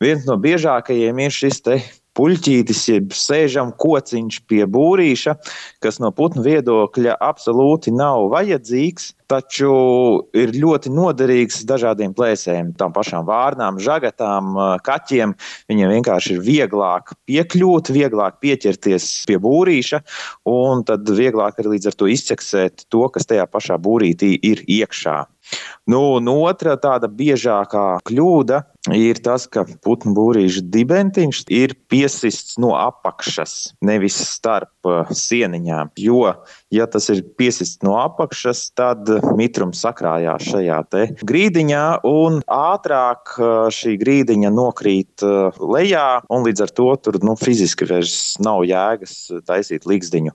Viens no biežākajiem ir šis te puļķītis, jeb sēžam kociņš pie būrīša, kas no putnu viedokļa absolūti nav vajadzīgs, taču ir ļoti noderīgs dažādiem plēsējiem, tām pašām vārnām, žagatām, kaķiem. Viņiem vienkārši ir vieglāk piekļūt, vieglāk pieķerties pie būrīša, un tad vieglāk arī līdz ar to izceksēt to, kas tajā pašā būrītī ir iekšā. Un otra tāda biežākā kļūda ir tas, ka putnu būrīša dibentiņš ir piesists no apakšas, nevis starp sieniņām. Jo, ja tas ir piesists no apakšas, tad mitrums sakrājās šajā te grīdiņā, un ātrāk šī grīdiņa nokrīt lejā, un līdz ar to tur fiziski vairs nav jēgas taisīt ligzdiņu.